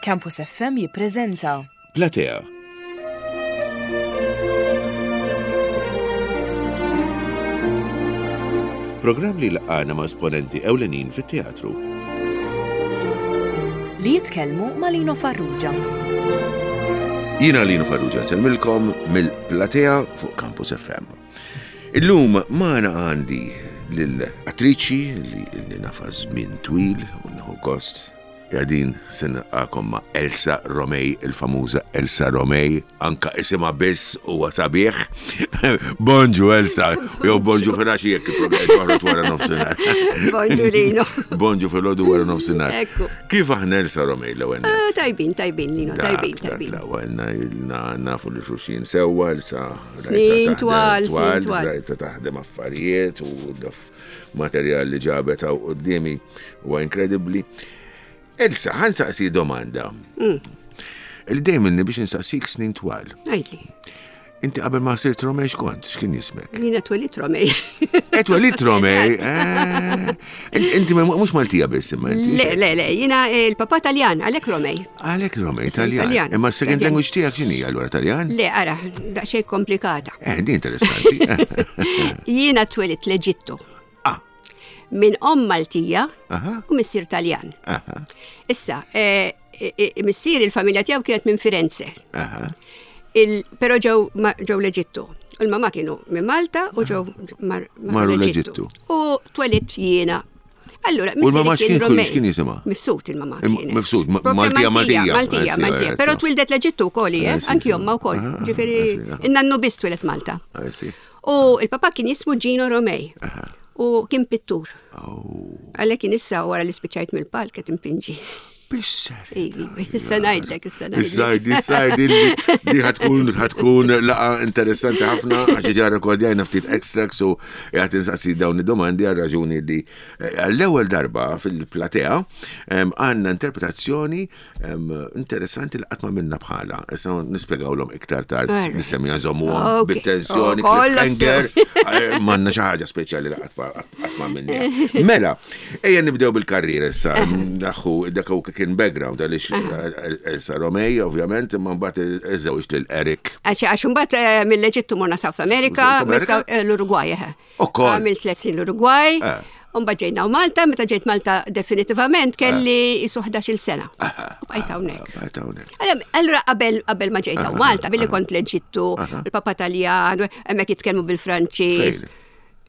Campus FM jippreżenta. Platea. Programm li laqgħana ma' esponenti ewlenin fit-teatru. Li jitkellmu ma' Lino Farrugia. Jiena Lino Farrugia nsellmilkom mill-Platea fuq Campus FM. Illum magħna għandi lil attriċi li ilni nafa żmien twil u nieħu gost Qegħdin se nilqagħkom ma' Elsa Romei, il-famuża Elsa Romei, anka isimha biss huwa sabiħ. Bonġu Elsa, jew bonġu filgħaxija jekk il-programm joħroġ wara nofsinhar. Bonġu Lino. Bonġu filgħodu wara nofsinhar. Ekku. Kif aħna Elsa Romei l-ewwel nett? Ah, Tajbin, tajbin, Lino, tajbin, Dak, dak tajbin. l-ewwel na- nafu li xulxin sewwa, Elsa rajtha Snin taħdem twal, snin twal. Rajtha taħdem affarijiet u materjal li ġabet hawn quddiemi huwa inkredibbli. Elsa, ħa nsaqsi domanda. Mm. Il dejjem ilni biex insaqsik snin twal. Għidli. Inti qabel ma sirt Romej x'kont, x'kien jismek? Jiena twelidt Romej. Eh, twelidt Romej. Eh. Inti mhux Maltija biss imma inti. Le, le, le, jiena eh, il-papa Taljan, għalhekk Romej. Għalhekk Romej, Taljan. Imma s-second language tiegħek x'inhi allura Taljan? Le, ara, daqsxejn komplikata. Eh, di interessanti. Jiena twelidt l-Eġittu. Ah. Minn om Maltija u missier Taljan. Issa, eh, eh, eh, missier il-familja tiegħu kienet minn Firenze. Però ġew ġew l-Eġittu. U l-mama kienu minn Malta u ġew marru l-Eġittu. U twelidt jiena Allura, U l-mama x'kien x'kien jisimha? Mifsud il-mama. Mifsud, Maltija, Maltija. Maltija, Maltija. Però twildet l-Eġittu wkoll, eh, anki omma wkoll. Ah, Ġifieri, in-nannu biss twilet Malta. U il-papa kien jismu Gino Romej. U kien pittur. Oh. Għalhekk kien issa wara li spiċċajt mill-palk qed impinġi. Bisser. Issa ngħidlek, issa ngħidlek. Issa issa li ħatkun ħatkun laqa interessanti ħafna għax diġà rekordjajna ftit extracts u qed insaqsi dawn id-domandi għal raġuni li eh, għall-ewwel darba fil-platea għandna interpretazzjoni interessanti li qatt ma minna bħala. Issa nispjegawlhom iktar tard nisemmiha żommuhom bit-tensjoni, oh, cliffhanger, eh, m'għandna xi ħaġa speċjali li qatt ma minna. Mela, ejja nibdew bil-karriera issa, daħu dak hu kien background għaliex eh, Elsa Romej, ovvjament, imma mbagħad iżewġ lil Eric. Għax għax imbagħad eh, mill-Eġittu morna South America, l-Uruguay. Ukoll. Għamilt tliet snin l-Uruguay. Eh. Umba ġejna u Malta, meta ġejt Malta definitivament kelli jisu 11 sena. Eh. U bqajt hawnhekk. Bqajt hawnhekk. Allura qabel qabel ma ġejt hawn Malta, billi kont l-Eġittu, il-Papa Taljan, hemmhekk jitkellmu bil-Franċiż.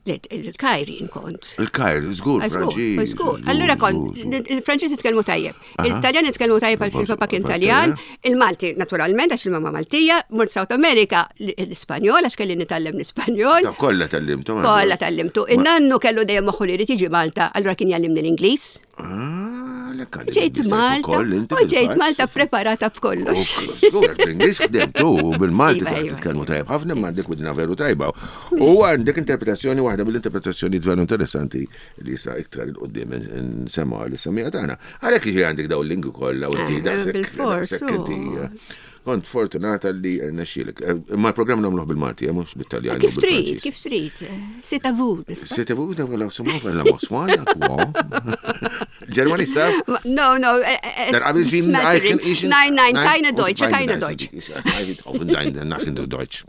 Il-Kajr jien kont. Il-Kajr, żgur, Franċiż. Żgur. Allura kont, il-Franċiż jitkellmu tajjeb. Il-Taljan jitkellmu tajjeb għax il-papa kien Taljan, il-Malti naturalment għax il-mama Maltija, mort South America l-Ispanjol għax kelli nitgħallem l-Ispanjol. Kollha tgħallimtu. Kollha tgħallimtu. In-nannu kellu dejjem moħħu li jrid jiġi Malta, allura kien jgħallimni l-Ingliż. Ah, Ġejt Malta, u ġejt Malta preparata b'kollox. Żgur, bl-Ingliż ħdimtu u bil-Malti Iva, taħt iva. titkellmu tajjeb ħafna imma għandek widna veru tajba. U għandek interpretazzjoni waħda mill-interpretazzjoni veru interessanti li jista' iktar il qudiem nsemma għal-semija tagħna. Għalhekk jiġi għandek dawn l-lingwi kollha u inti Eh, daqshekk bil-fors, daqshekk inti eh, kont fortunata li rnexxielek. Eh, Imma l-programm nagħmluh bil-Malti, eh, mhux bit-Taljan. Kif trid, kif trid. C'est à vous. C'est à vous d'avoir la bonsoir, quoi. Ġermanista? No, no. Eh, nein, nein, keine Deutsche, keine Deutsch. Deutsch.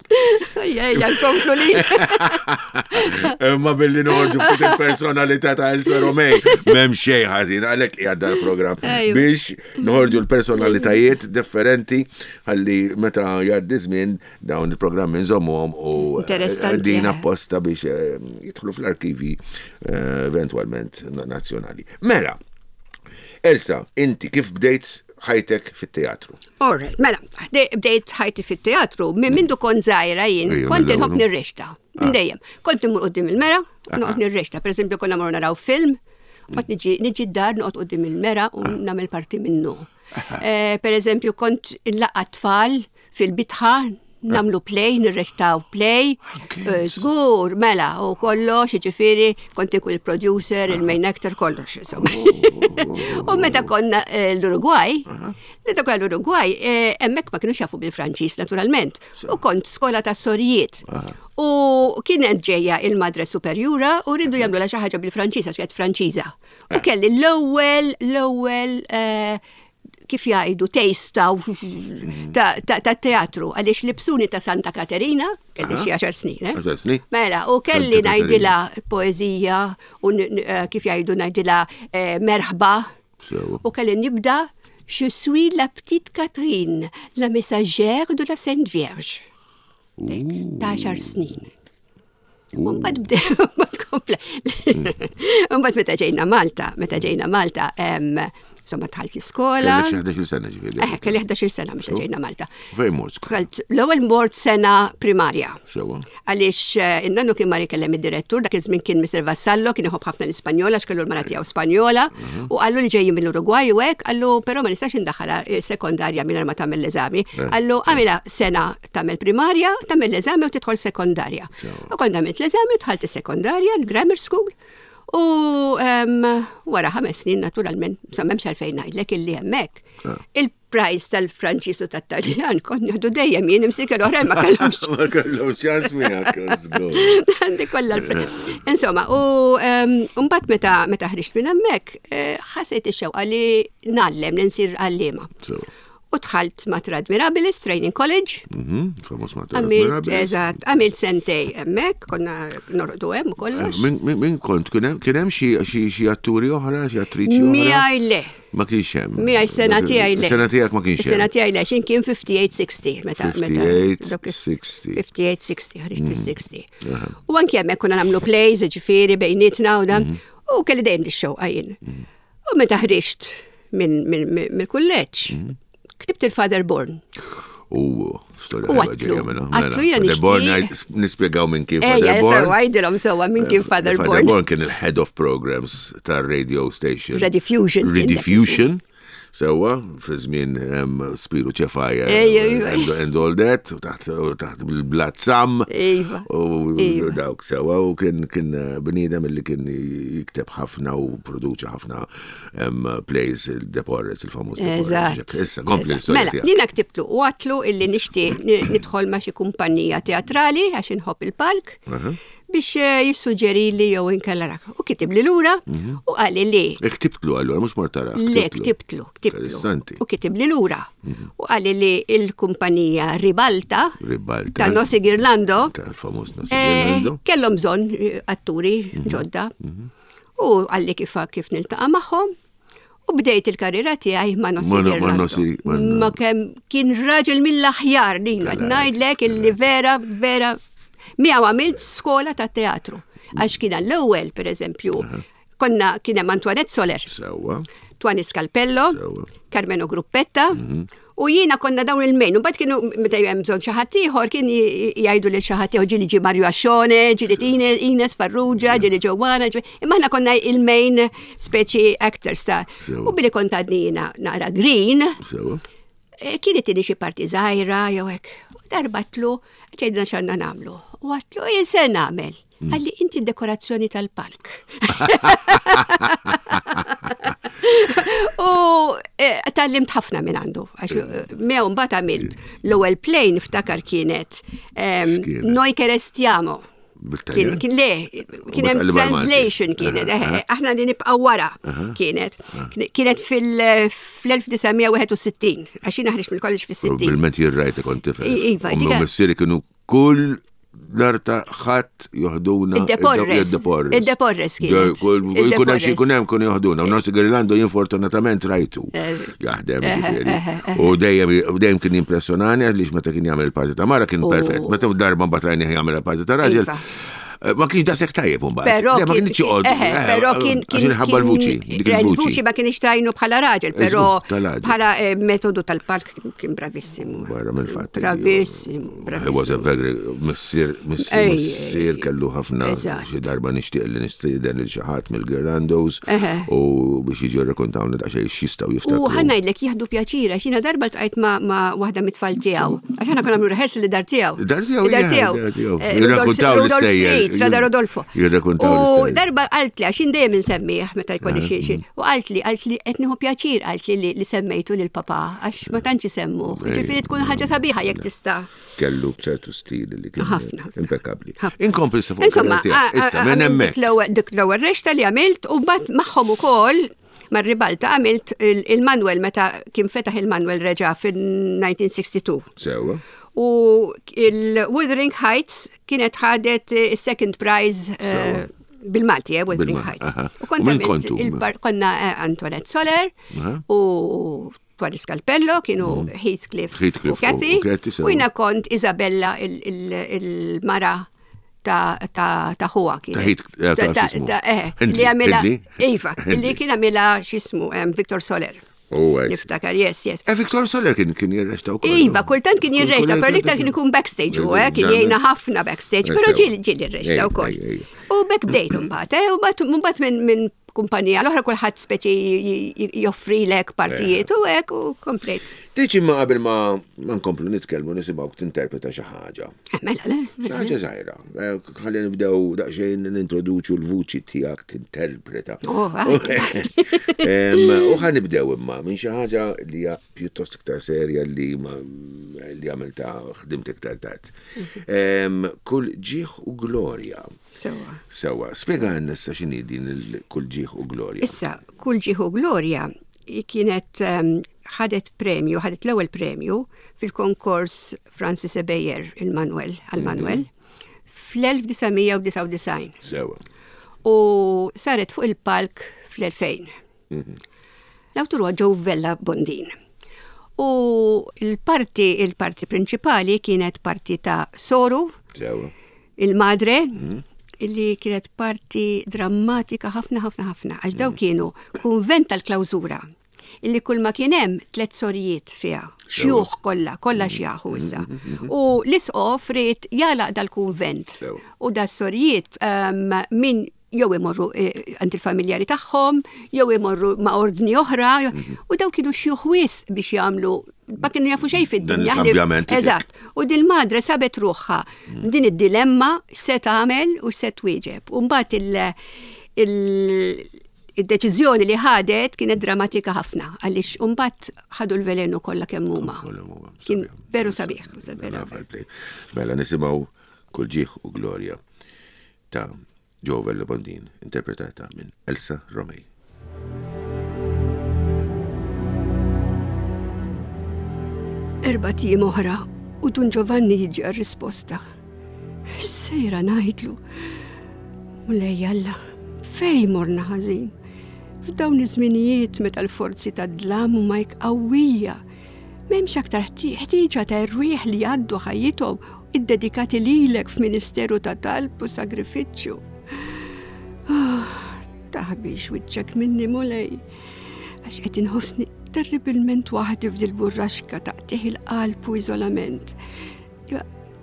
Ejja, nkomplu li. Imma billi noħorġu ftit il-personalità ta' Elsa Romej, m'hemm xejn ħażin għalhekk qiegħed dal-programm biex noħorġu l-personalitajiet differenti ħalli meta jgħaddi żmien dawn il-programmi nżommuhom u eh, din eh. apposta biex eh, jidħlu fl-arkivi eventwalment nazzjonali. Mela, Elsa, inti kif bdejt ħajtek fit-teatru? All right, mela, bdejt ħajti fit-teatru, minn mindu kont żgħira jien, kont inħobb nirrexta, minn ah. dejjem. Kont immur qudiem il-mera, noqgħod nirrexta. Per eżempju, konna morru naraw film, kont niġi d-dar noqgħod qudiem il-mera u ah. nagħmel parti minnu. Eh, per eżempju, kont inlaqqa tfal fil-bitħa, namlu play, nirrestaw play, eh, żgur, mela, u kollox, ġifiri, kont ikun il-producer, il-main actor, kollox, insomma. U meta konna eh, l-Uruguay, meta konna l-Uruguay, eh, hemmhekk ma kienux jafu bil-Franċiż, naturalment, u kont skola ta' sorijiet. U kienet ġejja il-Madre Superjura u rridu jagħmlu xi ħaġa bil-Franċiż għax kienet Franċiża. U kelli l-ewwel, l-ewwel eh, kif jgħidu taste ta' teatru għaliex libsuni ta' Santa Katerina, kelli xi għaxar snin, eh? Għaxar snin. Mela, u kelli ngħidilha poeżija u eh, kif jgħidu ngħidilha eh, merħba. U kelli nibda Je suis la petite Catherine, la messagère de la Sainte Vierge. Ta' għaxar snin. Mbagħad bdew, mbagħad kompla. Mbagħad meta ġejna Malta, meta ġejna Malta, insomma dħalt l-iskola. Kellek xi 11-il sena ġifieri. Eh, kelli 11-il sena meta ġejna Malta. Fejn mort? Dħalt l-ewwel mort sena primarja. Sewa. Għaliex eh, in-nannu kien mar ikellem id-direttur, dak iż-żmien kien Mr. Vassallo, kien iħobb ħafna l-Ispanjola għax kellu l-mara tiegħu Spanjola, mhm. u qallu li ġejjin mill-Urugwaj u hekk, qallu però ma nistax indaħħalha eh, sekondarja mingħajr ma tagħmel l-eżami. Eh. Qallu għamilha sena tagħmel primarja, tagħmel l-eżami u tidħol sekondarja. U kont għamilt l-eżami, dħalt is-sekondarja, l-grammar school, u wara ħames snin naturalment, sa m'hemmx għalfejn ngħidlek illi hemmhekk. Ah. Il-prize tal-Franċiż u tat-Taljan kont nieħdu dejjem jien imsik l-oħrajn ma kellhomx. Ma kellhomx ċans miegħek. Għandi kollha Insomma, u mbagħad meta meta ħriġt minn hemmhekk, eh, ħassejt ix-xewqa li ngħallem li nsir għalliema. U dħalt Mater Admirabilis Training College. Mhm, Famos Mater Admirabilis. Eżatt, għamilt sentej hemmhekk, konna norqdu hemm u kollox. Eh, min kont, kien hemm xi atturi oħra, xi attriċi oħra? Miegħi le. Ma kienx hemm. Miegħi sena tiegħi le. Sena tiegħek ma kienx hemm. Sena tiegħi le, x'in kien 58-60 meta. 58-60. 58-60, ħriġt fis-60. Mhm. U anke hemmhekk konna nagħmlu plays, ġifieri bejnietna u dan. Mhm. U kelli dejjem dix-xewqa jien. U meta ħriġt mill-kulleġġ, mhm. ktibt il-Father Born. U storja U għatlu, mela, għatlu jena Father Born nispjegaw minn kien Father Born. Ejja, għajdilhom sewwa minn kien Father Born. Father Born kien il-head of programs tar-radio station. Rediffusion. Rediffusion. Sewwa, fi żmien Spiru Ċefaja and all that, taħt bil-blat sam. Iva. U dawk sewwa, u kien kien eh, bniedem li kien jikteb ħafna u produċa ħafna plays il-Deporres, il-famuż Deporres. Issa, kompli l-istorja. Mela, jiena ktibtlu u għatlu illi nixtieq nidħol ma' xi kumpanija teatrali għax inħobb il-palk. Biex eh, jissuġġerili jew inkella rak. U kitibli lura mhm. u qali li. E ktibtlu allura mhux mort tara. Le, ktibtlu, ktibtlu. U kitibli lura. Mhm. U qali li il-kumpanija Ribalta. Ribalta. Ta' Nosi Girlando. Tal-famuż Nosi eh, Girlando. Kellhom bżonn eh, atturi mhm. ġodda. U qalli kif kif niltaqa' magħhom. U bdejt il-karriera tiegħi ma' Nossi Ma kemm kien raġel mill-aħjar li ngħidlek illi vera vera miegħu għamilt skola ta' teatru. Għax kien għall-ewwel, pereżempju, konna kien hemm Antoinette Soler. Sewwa. Twani Scalpello, Carmeno Gruppetta, mhm. U jiena konna dawn il-mejn, u mbagħad kienu meta hemm bżonn xi ħadd ieħor kien jgħidu lil xi ħadd ieħor ġieli ġie Mario Ascione, ġieli Ines Farrugia, ġieli Ġowana, imma aħna konna il-main speċi actors ta' u billi kont għadni jiena naqra green. Eh, kien itini xi parti żgħira jew hekk. U darbatlu tgħidna x'għandna nagħmlu. U għatlu jien se nagħmel. Mm. Għalli inti dekorazzjoni tal-palk. U eh, tallimt ħafna minn għandu. Għax eh, miegħu mbagħad għamilt l-ewwel plane ftakar kienet ehm, Noi che restiamo. Kien le, kien hemm translation kienet, eh, aħna li nibqgħu wara kienet. Kienet fil-1961, għax jiena ħriġt mill-college fis-60. Bil-ment jirrajt kont tifel. Iva, missieri kienu kull nar ta' ħadd joħduna. Id-deporres. Id-deporres kien. Kun hemm xi jkun hemm kun joħduna. U Nossi Girlando jien fortunatament rajtu eh. jaħdem eh, ġifieri. Eh, u dejjem dejjem kien impressjonani għaliex meta kien jagħmel il-parti ta' mara kien perfett. Meta darba mbagħad rajni jagħmel il-parti ta' raġel. Iva. Ma kienx daqshekk tajjeb imbagħad. Però ma kienx joqgħod. Però kien kien ħabba l-vuċi. Il-vuċi ma kienx tajnu bħala raġel, però bħala metodu tal-palk kien bravissimu. Barra mill-fatt. Bravissimu, bravissimu. He was a very missier, missier kellu ħafna xi darba nixtieq li nistieden lil xi ħadd mill-Girlandos u biex jiġu rrakontawna daqsxejn x'jistgħu jiftakru. U ħa ngħidlek jieħdu pjaċir għax jiena darba ltqajt ma' waħda mit-tfal tiegħu. Għax aħna konna nagħmlu rehearsal li dar tiegħu. Dar tiegħu, dar tiegħu. Eh, Jirrakkontaw l-istejjer. Strada Rodolfo. Jirrakkontaw U darba qaltli għax jien dejjem insemmih meta jkolli xi xi. U qaltli qaltli qed nieħu pjaċir qaltli li semmejtu lil papà għax ma tantx isemmuh. Ġifieri tkun ħaġa sabiħa jekk tista'. Kellu ċertu stil li kien ħafna. Impeccabli. Inkompli sa fuq. Insomma, issa minn hemmhekk. Dik l-ewwel rexta li għamilt u mbagħad magħhom ukoll. Mar-ribalta għamilt il-Manuel meta kien fetaħ il-Manuel reġa' fin-1962. Sewa. U il-Wuthering Heights kienet ħadet is-second prize eh, bil-Malti, eh, Wuthering Heights. U kont kontu? Konna eh, Antoinette Soler u Twali Scalpello, kienu mm. Heathcliff, Heathcliff u Cathy. U jina kont Isabella il-mara ta' ta' ta' ħuha kien. Ta' eh, eh, li għamilha Iva, li kien għamilha x'ismu Victor Soler. Oh, Niftakar, yes, yes. Eh, Victor Soler kien kien jirrexta wkoll. Iva, kultant kien jirrexta, però l-iktar kien ikun backstage u eh, kien jgħinna ħafna backstage, però ġieli ġieli jirrexta wkoll. U back date mbagħad, eh, u mbagħad minn kumpanija l-oħra kulħadd speċi joffrilek partijiet u hekk u komplejt. Tiġi ma qabel ma nkomplu nitkellmu nisimgħu tinterpreta xi ħaġa. Eh, mela le. Xi ħaġa żgħira. Eh, ħalli nibdew daqsxejn nintroduċu l-vuċi tiegħek tinterpreta. Oh, u ħa nibdew imma minn xi ħaġa li hija pjuttost iktar serja li li għamilta ħdimt iktar tard. Mhm. Kull ġieħ u glorja. Sewa. Sewa. Spjega għanna issa x'inhi din il-kull ġieħ u glorja. Issa, kull ġieħ u glorja kienet ehm, ħadet premju, ħadet l-ewwel premju fil-konkors Francis Ebejer il-Manuel, għal-Manuel, mhm. fl-1999. Sewa. U saret fuq il-palk fl-2000. Mhm. L-awtur huwa Joe Vella Bondin. U l-parti, il-parti prinċipali kienet parti ta' Soru, il-madre, mm. illi kienet parti drammatika ħafna ħafna ħafna, għax daw mm. kienu kunvent tal-klawżura illi kull ma kien hemm tliet sorijiet fiha, xjuħ kollha, kollha mm. xjaħu issa. U l-isqof ried jalaq dal-kunvent. U da sorijiet ehm, min jew imorru eh, għand il-familjari tagħhom, jew imorru ma' ordni oħra, mhm. u daw kienu xjuħ wisq biex jagħmlu ma kienu jafu xejn fid-dinja. Eżatt. U din madre sabet ruħha mhm. din id-dilemma se tagħmel u se twieġeb. U mbagħad il-deċiżjoni li ħadet kienet drammatika ħafna għaliex mbagħad ħadu l-velenu kollha kemm huma. Kien veru sabiħ. Mela nisimgħu kull ġieħ u glorja ta' Joe Vella Bondin, interpretata minn Elsa Romei. Erbat ijiem oħra u Dun Giovanni jiġi għar-risposta. X'sejra ngħidlu? Mulej Alla, fej morna ħażin? F'dawn iż-żminijiet meta l-forzi tad-dlam huma hekk qawwija, m'hemmx aktar ħtieġa ta' erwieħ li jgħaddu ħajjithom iddedikati lilek f'ministeru ta' talb u sagrifiċċju. Ah, taħbix wiċċek minni mulej, għax qed inħossni terribilment waħdi f'dil burraxka ta' qtieħ il-qalb u iżolament.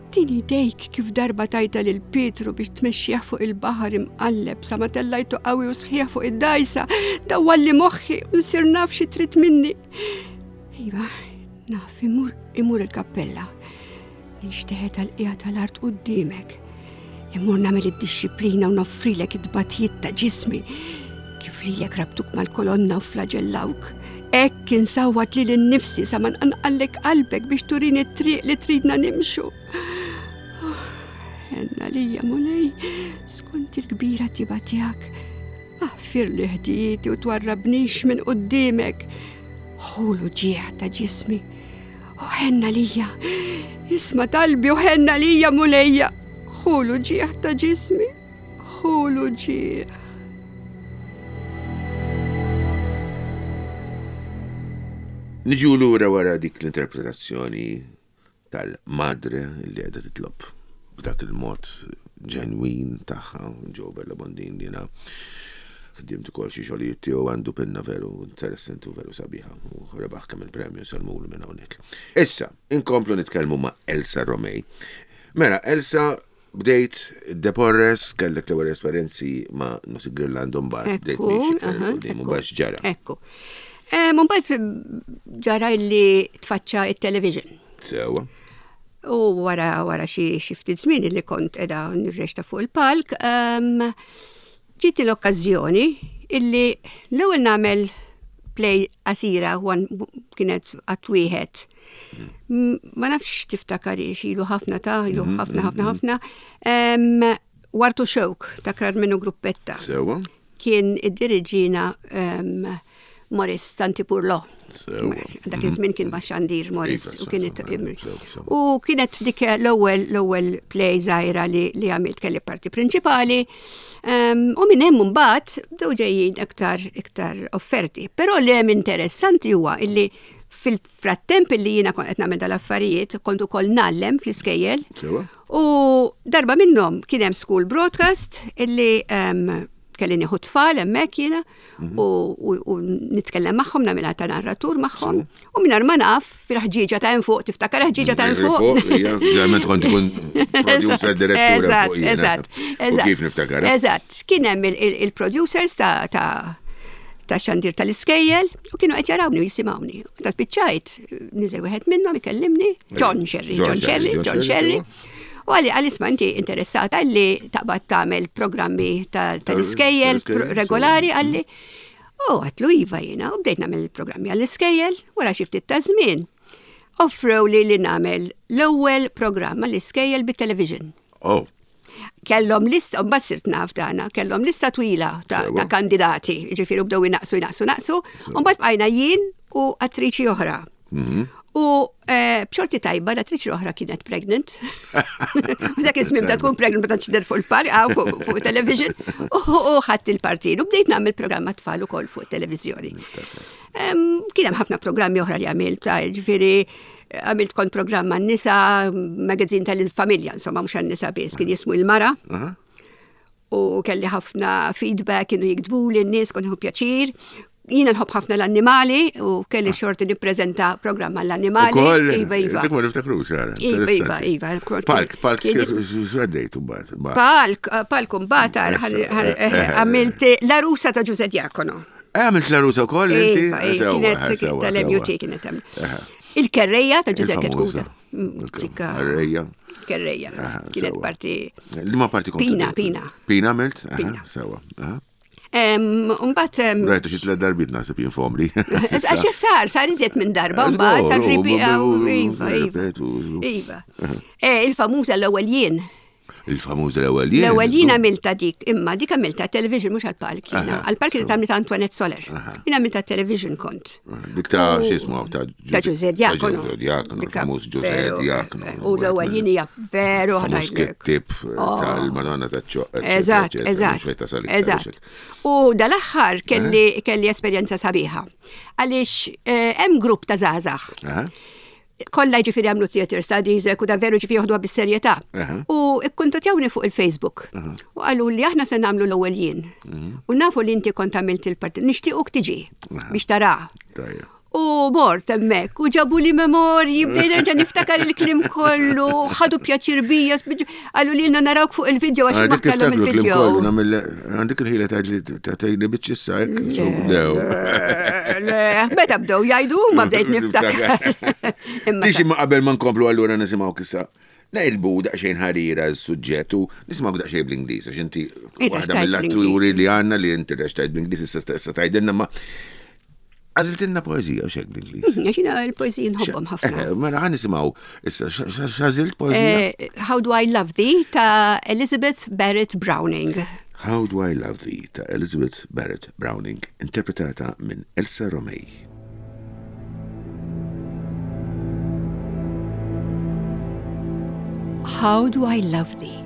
Tini idejk kif darba tajta lil Pietru biex tmexxih fuq il-baħar imqalleb sa ma tellajtu qawwi u sħiħ fuq id-dajsa, dawwalli moħħi u nsir naf xi trid minni. Iva, naf imur imur il-kappella. Ninxteħet għall-qiegħa tal-art quddiemek. Immur nagħmel id-dixxiplina u noffrilek it-tbatijiet ta' ġismi. Kif lilek rabtuk mal-kolonna u flaġellawk. Hekk insawwat lili nnifsi sa ma nqanqallek qalbek biex turini t-triq li tridna nimxu. Oh, Henna lija Mulej, skont il-kbira tiba tiegħek. Aħfirli ħdijieti u twarrabnix minn quddiemek. Ħulu ġieħ ta' ġismi U ħenna lija, isma talbi u ħenna lija mulejja, ħulu ġieħ ta' ġismi, ħulu ġieħ. Niġu lura wara dik l-interpretazzjoni tal-madre li qiegħda titlob b'dak il-mod ġenwin tagħha, Joe Vella Bondin jiena ħdimt ukoll xi xogħlijiet tiegħu għandu pinna veru interessanti u veru sabiħa u rebaħ kemm il-premju sellmulu minn hawnhekk. Issa, inkomplu nitkellmu ma' Elsa Romei. Mela, Elsa bdejt Deporres, kellek l-ewwel esperjenzi ma' Nosy Girlando mbagħad bdejt miexi iktar 'il quddiem u mbagħad x'ġara? Ekku. Mbagħad ġara li tfaċċa it-television. Sewa. U wara wara xi ftit żmien li kont qiegħda nirrexta fuq il-palk, ġietni l-okkażjoni illi l-ewwel nagħmel play qasira kienet qatt wieħed. Ma nafx tiftakarix ilu ħafna ta' ilu mhm, ħafna ħafna mhm. ħafna. Wartu Xewk ta' Karmenu Gruppetta. Sewa. Kien id-diriġina Morris Tanti Purlo. Dak iż-żmien kien ma' xandir Morris iva, u kienet u kienet dik l-ewwel l-ewwel play żgħira li li għamilt kelli parti prinċipali. U minn hemm imbagħad bdew ġejjin iktar iktar offerti. Però li hemm interessanti huwa illi fil-frattemp illi jiena kont qed nagħmel dal-affarijiet kont ukoll ngħallem fl-iskejjel. U darba minnhom kien hemm school broadcast illi kelli nieħu tfal hemmhekk jiena mhm. u nitkellem magħhom nagħmilha ta' narratur magħhom u mingħajr ma naf fil-ħġieġa ta' hemm fuq tiftakar ħġieġa ta' hemm fuq. Ġeneralment kont ikun producer direttur Eżatt, eżatt. Kif niftakar? Eżatt, kien hemm il-producers ta' ta' xandir tal-iskejjel u kienu qed jarawni u jisimgħuni. Ta' spiċċajt, niżel wieħed minnhom ikellimni, John Sherry, John Sherry, John Sherry. U għalli għalli isma' inti interessata li taqbad tagħmel programmi tal-iskejjel regolari għalli. U għatlu iva jiena u bdejt nagħmel programmi għall-iskejjel wara xi ftit ta' żmien. Offrew li li nagħmel l-ewwel programm għall-iskejjel bit-television. Oh. Kellhom lista, mbagħad sirt naf dana, kellhom lista twila ta', ta kandidati, ġifieri bdew inaqsu jnaqsu naqsu, u mbagħad bqajna jien u attriċi oħra. Mhm. U eh, b'xorti tajba l-attriċi l-oħra kienet pregnant. U dak iż-żmien ta' tkun pregnant ma tantx fuq il-par, ah, fuq television, u ħadd il-partin. U bdejt nagħmel programm tfal ukoll fuq televizjoni. Kien hemm ħafna programmi oħra li għamilt, ġifieri għamilt kont programm għan-nisa, magazin tal-familja, insomma, mhux għan-nisa biss, kien jismu il-mara. U kelli ħafna feedback, kienu jiktbu li n-nies, kont pjaċir. Jiena nħobb ħafna l-annimali u kelli ah. xorti nippreżenta programm għall-annimali. Iva, iva. Dik ma niftakrux, għara. Iva, iva, iva. Palk, palk, x'għaddejt mbagħad. Palk, palk mbagħad eh, eh, għamilt la rusa ta' Ġuże Diakono. Eh, għamilt la rusa wkoll inti? Iva, kienet tal-MUT kienet hemm. Il-kerreja ta' Ġuże Ketkuta. Mm, kerreja. Kerreja. Kienet parti. Li ma parti Pina, Pina. Pina għamilt? Pina. Sewa. Umbat. Rajtu xi tliet darbiet naħseb jien fomri. Għax sar, sar iżjed minn darba, mbagħad sar ripi. Iva, iva. Iva. Eh, il-famuża l-ewwel jien. Il-famuża l-ewwel jien. L-ewwel jien għamilta dik, imma dik għamilta television mhux għall-palk jiena. Għall-palk li tagħmilta Antoinette Soler. Jien għamilta television kont. Dik ta' x'ismu ta' Ta' Ġuże Diakono. Ta' Ġuże Diakono, il-famuż Ġuże Diakono. U l-ewwel jien hija veru ħanajlek. Kittib oh. tal-Madonna ta' ċoq. Eżatt, eżatt. Eżatt. U dal-aħħar kelli eh? kelli esperjenza sabiħa. Għaliex eh, hemm grupp ta' żgħażagħ. Kollha ġifieri għamlu theater studies, u da veru ġifieri joħduha bis-serjetà. U ikkuntatjawni fuq il-Facebook. U qalu li aħna se nagħmlu l-ewwel jien. Mhm. U nafu li inti kont għamilt il-parti. Nixtiequk tiġi biex tara. U mort hemmhekk u ġabu li memorji, bdejna nerġa' niftakar il-klim kollu, ħadu pjaċir bija, qalu li narawk fuq il-video għax ma kellhom il-video. Għandek il-ħila tgħidli biċċissa hekk bdew. Le, meta bdew jgħidu ma bdejt niftakar. Tixi ma qabel ma nkomplu allura nisimgħu kissa. Naqilbu daqsxejn ħarira s-suġġett u nisimgħu daqsxejn bl-Ingliż għax inti waħda mill-atturi li għandna li inti reċtajt bl-Ingliż issa stessa tgħidilna ma Għażiltilna poeżija u xek bl-Ingliż. Mhm, għax jiena l-poeżiji nħobbhom ħafna. Eh, mela ħa nisimgħu issa x'għażilt poeżija? Eh, How Do I Love Thee ta' Elizabeth Barrett Browning. How Do I Love Thee ta' Elizabeth Barrett Browning, interpretata minn Elsa Romei. How do I love thee?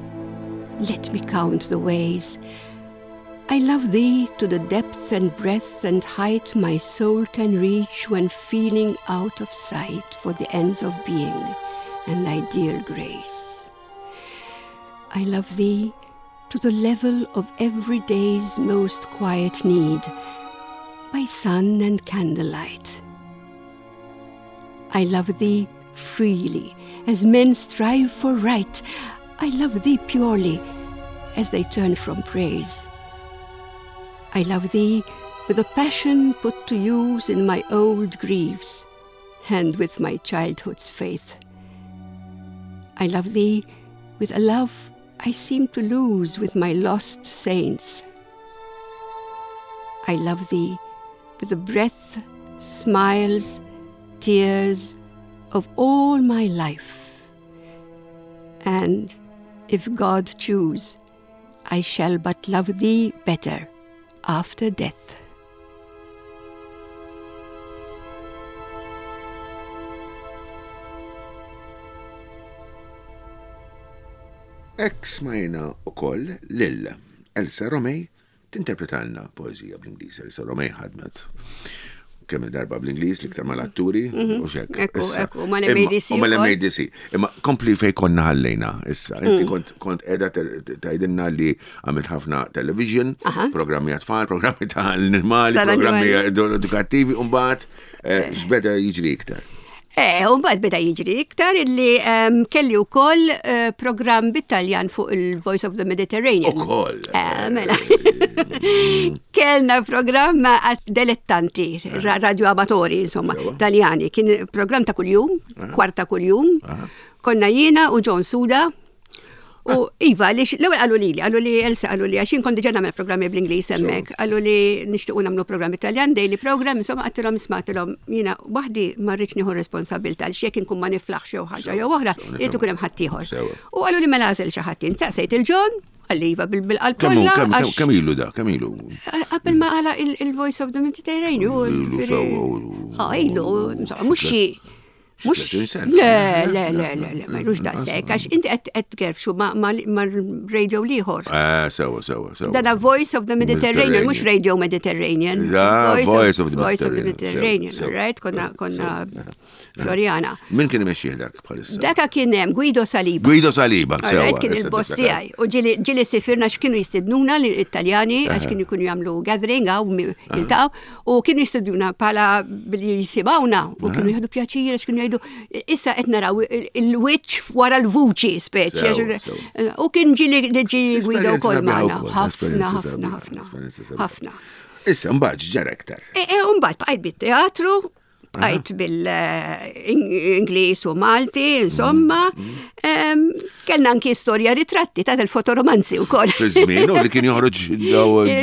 Let me count the ways. I love thee to the depth and breadth and height my soul can reach when feeling out of sight for the ends of being and thy dear grace. I love thee to the level of every day's most quiet need, by sun and candlelight. I love thee freely, as men strive for right. I love thee purely, as they turn from praise. I love thee with a passion put to use in my old griefs and with my childhood's faith. I love thee with a love I seem to lose with my lost saints. I love thee with the breath, smiles, tears of all my life. And if God choose, I shall but love thee better after death. Hekk smajna ukoll lil Elsa Romej tinterpretalna poeżija bl-Ingliż. Elsa Romej ħadmet kemm il-darba bl-Ingliż l-iktar mal-atturi u xek. Ekku, ekku, mal-MADC. U mal-MADC. Imma kompli fej konna ħallejna issa. Inti mm. kont qiegħda tgħidilna li għamilt ħafna television, programmi għat-tfal, programmi tal-normali, programmi edukattivi, u mbagħad eh, x'beda jiġri iktar. Eh, u mbagħad beda jiġri iktar illi ehm, kelli wkoll eh, programm bit-Taljan fuq il-Voice of the Mediterranean. Ukoll. Eh, mela. Kellna programm dilettanti, radio amatori, insomma, Taljani. Kien programm ta' kuljum, kwarta kuljum. Konna jiena u John Suda U iva, li l-ewwel qalu lili, qalu li Elsa qalu li għax jien kont diġà nagħmel programmi bl-Ingliż hemmhekk, qalu li nixtiequ nagħmlu programm Italjan, daily program, insomma qedtilhom isma'tilhom jiena waħdi ma rridx nieħu responsabilità għaliex jekk inkun ma niflaħx jew ħaġa jew oħra, irid ikun hemm ħaddieħor. U qalu li mela għażel xi ħadd jien saqsejt il-John, qalli iva bil-qalb kollha. Kemm ilu da, kemm ilu? Qabel ma qala il-Voice of the Mediterranean. Ah, ilu, insomma, mhux xi Mux. Le, le, le, le, le, ma jlux daqsek, għax inti qed tgerfxu ma radio liħor. Eh, sewa, sewa, sewa. Dana Voice of the Mediterranean, mux Radio Mediterranean. Voice of the Voice of the Mediterranean, right? Konna, konna Floriana. Min kien imexxih dak bħalissa? Daka kien hemm Guido Saliba. Guido Saliba, sewa. Kien il-boss tiegħi. U ġieli sifirna x'kienu jistidnuna l-Italjani għax kienu jkunu jagħmlu gathering għaw jiltaqgħu. U kienu jistudjuna bħala billi jisimgħuna u kienu jieħdu pjaċir għax kienu jgħidu issa qed naraw il-wiċċ wara l-vuċi speċi. U kien ġi li ġi Guido wkoll magħna. Ħafna, ħafna, ħafna. Ħafna. Issa mbagħad ġara iktar. E, e, mbagħad bqajt bit-teatru, bqajt bil-Ingliż u Malti, insomma. Mm, mm. Kellna anki storja ritratti ta' il-fotoromanzi u koll. Fi-żmien u li kien joħroġ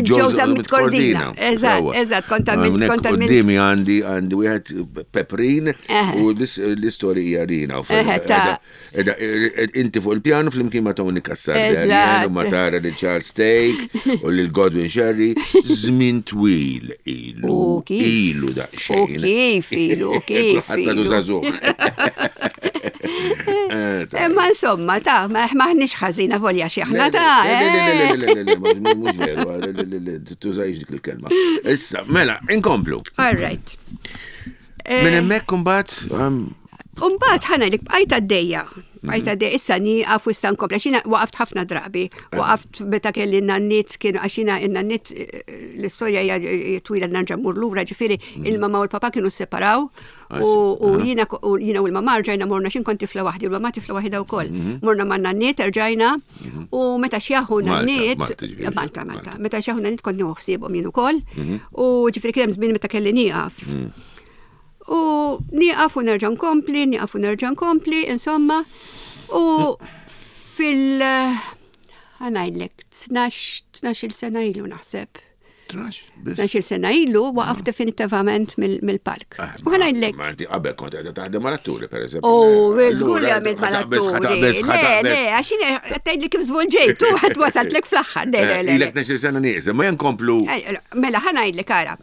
Joe Zammit Cordina. Eżatt, eżatt, kont għamilt. Kont għamilt. Qudiemi għandi għandi wieħed Peprin u l-istorja hija rina. Inti fuq il-pjanu flimkien ma' Tony Cassar u ma' tara li Charles Steak u lil Godwin Sherry żmien twil ilu. Ilu daqsxejn. U kif ilu, kif. Ħadd għadu żagħżugħ. Eh, ma insomma, ta' ma ħniex ħażina volja xi aħna ta' Le, le, le, le, le, le, mhux veru, tużajx dik il-kelma. Issa, mela, inkomplu. All right. Minn hemmhekk imbagħad Umbagħad ħana li bqajt għaddejja, bqajt mhm. għaddejja, issa nieqaf u issa nkompli, għax waqaft ħafna drabi, eh. waqaft meta kelli n-nannit kienu għax jiena n-nannit eh, l-istorja hija twila nerġa' mmur lura, ġifieri mhm. il-mama u l-papa kienu separaw u jiena u jiena u l-mama rġajna morna x'in kont tifla waħdi u l-mama tifla waħda wkoll. Mhm. Morna ma' nannit rġajna u meta xjaħu nannit, Malta, Malta, meta xjaħu nannit kont nieħu ħsiebhom jien ukoll u ġifieri kien hemm żmien meta kelli nieqaf. U nieqaf u nerġa' nkompli, nieqaf u nerġa' nkompli, insomma. U fil- ħanajdlek, 12 sena ilu naħseb. 12 sena ilu waqaf definitivament mill-palk. Ah, u ħanajdlek. Ma inti qabel kont qiegħda taħdem mal-atturi, per eżempju. U żgur li għamilt mal-atturi. Le, le, għax jien qed tgħidli kif żvolġejt u ħadd wasaltlek fl-aħħar. Le, le, le. Ilek 12 sena nieqsa, ma jenkomplu. Eh, mela ħanajdlek ara.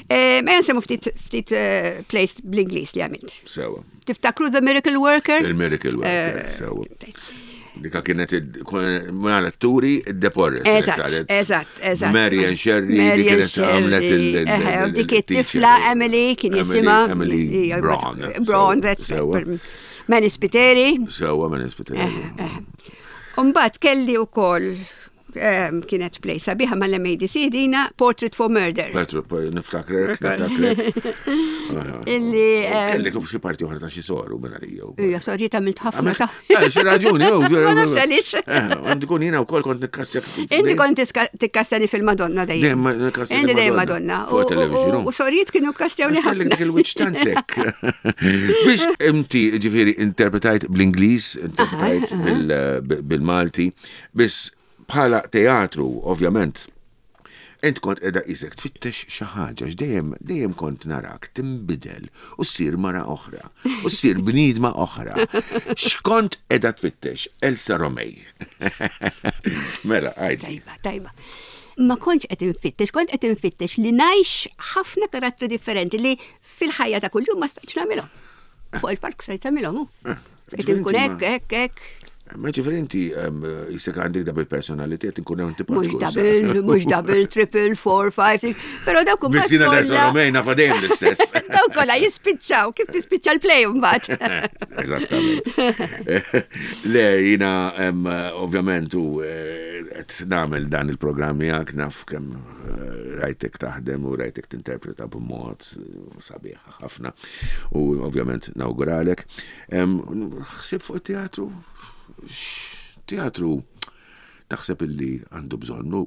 Eh, ma nsemmu ftit ftit eh, place bl-Ingliż li għamilt. Sewa. Tiftakru The Miracle Worker? Il-Miracle Worker, eh, sewa. Dika kienet mal-atturi id-Deporres. Eżatt, eżatt, eżatt. Marian Sherry, li kienet għamlet il- Dik it-tifla Emily kien jisimha. Emily Braun. Braun, that's right. Manny Spiteri. Sewa, Manny Spiteri. Umbat kelli u koll kienet play sabiħa mal-MADC dina Portrait for Murder. Niftakrek, niftakrek. Illi. Kelli kif xi parti oħra ta' xi soru minn għalija. Ija, sorry ta' milt ħafna ta' eh, Xi raġuni, Ma nafx għaliex. Eh, għandi kun jiena wkoll kont nikkastja. Inti kont tikkastjani fil-Madonna dejjem. Inti dejjem Madonna. U sorijiet kienu kkastjawni ħafna. Kellek dik il-wiċċ tantek. Biex inti ġifieri interpretajt bl-Ingliż, interpretajt bil-Malti, biss bħala teatru, ovvjament, int kont qiegħda qisek tfittex xi ħaġa x'dejjem dejjem kont narak tinbidel u ssir mara oħra u ssir bniedma oħra. X'kont qiegħda tfittex Elsa Romej? Mela, għidli. Tajba, tajba. Ma kontx qed infittex, kont qed infittex li ngħix ħafna karattri differenti li fil-ħajja ta' kuljum ma stajtx nagħmilhom. Fuq il-palk stajt nagħmilhom. Qed inkun hekk, hekk, hekk. Ma ġifieri inti jisek għandek double personality qed inkun hemm tibqa' Mhux double, mhux double, triple, four, five, six, però dawk imbagħad. Biss jiena nerġa' Romejna fa' dejjem l-istess. Dawk kollha jispiċċaw, kif tispiċċa l-play mbagħad. Eżattament. Le jiena ovvjament u eh, qed nagħmel dan il-programm miegħek naf kemm eh, rajtek taħdem u rajtek tinterpreta b'mod sabiħ ħafna u ovvjament nawguralek. Ħsib fuq it-teatru? Teatru taħseb illi għandu bżonnu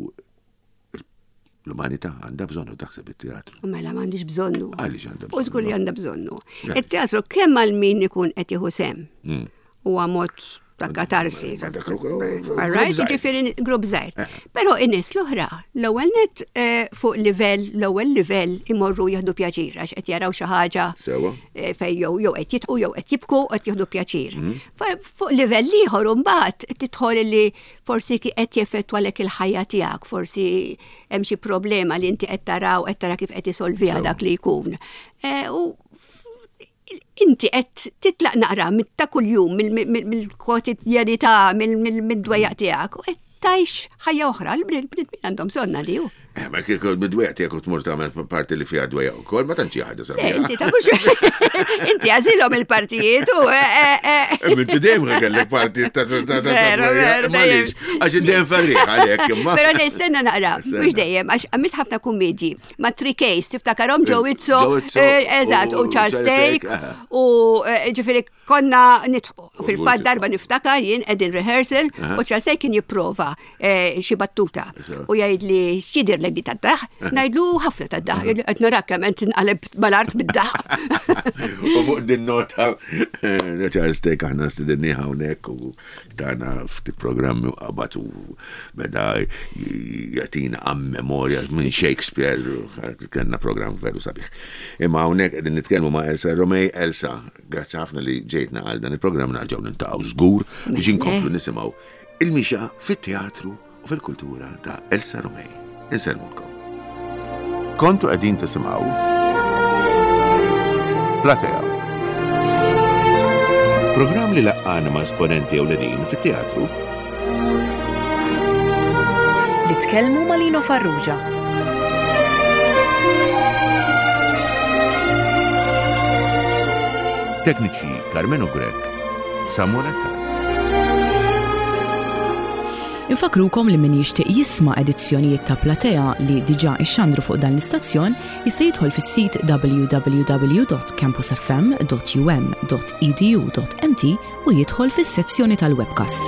l-umanità għandha bżonnu taħseb it-teatru. Mela m'għandix bżonnu. Għaliex għandha bżonnu. U żgur li għandha bżonnu. Il-teatru kemm għal min ikun qed jieħu sem. Mm. Huwa mod ta' katarsi. Right, ġifieri grupp żgħir. Eh. Però in-nies l-oħra, l-ewwel net eh, fuq livell, l-ewwel livell imorru jieħdu pjaċir għax qed jaraw xi ħaġa eh, fejn jew jew qed jitqu jew qed jibku qed jieħdu pjaċir. Mhm. Fuq livell ieħor imbagħad tidħol li forsi qed jeffettwalek il-ħajja tiegħek, forsi hemm xi problema li inti qed taraw qed tara kif qed isolviha dak li jkun. U inti qed titlaq naqra ta' kuljum mill-kwotidjanità, mid-dwejjaq tiegħek u qed tgħix ħajja oħra, l-bnedmin għandhom bżonna di. Eh, ma kieku mid-dwejjaq tiegħek u tmur tagħmel parti li fiha dwejjaq ukoll, ma tantx ħaġa sabiħa. Eh, inti ta' mhux inti għażilhom il-partijiet u eh, Inti dejjem kellek parti ta' ta' ta' Għax dejjem ferriħ għalhekk imma. Però nistenna naqra, mhux dejjem għax għamilt ħafna kummedji. ma' Three Ks, tiftakarhom Joe Izzo, eh, eżatt, u Charles Take, u eh, ġifieri konna nitħu. Fil-fatt darba niftakar jien qegħdin rehearsal u Charles Take kien jipprova eh, xi battuta u jgħidli x'jidhirlek di tad-daħ, ngħidlu ħafna tad-daħ, qed narak kemm qed tinqaleb mal-art bid-daħ. U fuq din nota Charles Take aħna stidinni hawnhekk u Tana ftit programmi u qabad u beda jagħtina għam memorja minn Shakespeare, kellna programm veru sabiħ. Imma hawnhekk qegħdin nitkellmu ma' Elsa Romej. Elsa, grazzi ħafna li ġejtna għal dan il-programm narġgħu niltaqgħu żgur biex inkomplu nisimgħu il-mixa fit-teatru u fil-kultura ta' Elsa Romej. Insellmulkom. Kontu qegħdin tisimgħu Platea. Programm li laqqana ma' esponenti ewlenin fit-teatru. Li tkellmu ma' Lino Farrugia. Tekniċi Carmenu Grech, Samuel Attard. Infakkrukom li min jixtieq jisma' edizzjonijiet ta' Platea li diġà ixxandru fuq dan l-istazzjon jista' jidħol fis-sit www.campusfm.um.edu.mt u jidħol fis-sezzjoni tal-webcasts.